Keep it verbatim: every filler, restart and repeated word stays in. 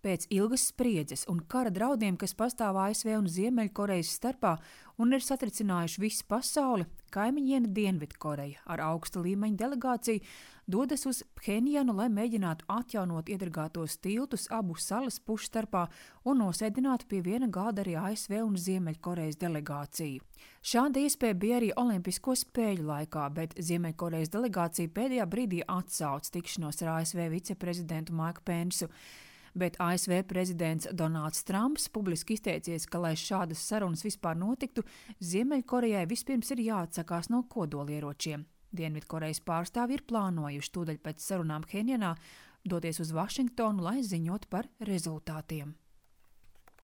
Pēc ilgas spriedzes un kara draudiem, kas pastāv A S V un Ziemeļkorejas starpā un ir satricinājuši visu pasauli, kaimiņiene Dienvidkoreja ar augsta līmeņa delegāciju dodas uz Phenjanu, lai mēģinātu atjaunot iedragātos tiltus abu salas pušu starpā un nosēdinātu pie viena gāda arī A S V un Ziemeļkorejas delegāciju. Šāda iespēja bija arī Olimpisko spēļu laikā, bet Ziemeļkorejas delegācija pēdējā brīdī atsauca tikšanos ar A S V viceprezidentu Maiku Pensu. Bet A S V prezidents Donalds Trumps publiski izteicies, ka, lai šādas sarunas vispār notiktu, Ziemeļkorejai vispirms ir jāatsakās no kodolieročiem. Dienvidkorejas pārstāvji ir plānojuši tūdaļ pēc sarunām Phenjanā doties uz Vašingtonu, lai ziņot par rezultātiem.